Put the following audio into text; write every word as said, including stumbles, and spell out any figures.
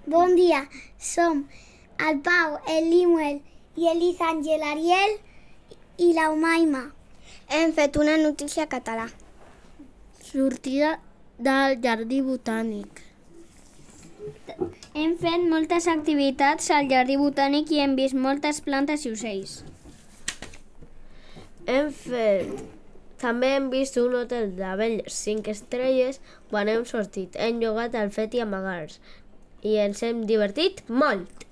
Bon dia, som el Pau, el Limuel i l'Isàngel, l'Ariel i la Umaima. Hem fet una notícia català. Sortida del jardí botànic. Hem fet moltes activitats al jardí botànic i hem vist moltes plantes i ocells. Hem fet... També hem vist un hotel d'abelles cinc estrelles quan hem sortit. Hem jugat al fet i amagar-nos i ens hem divertit molt.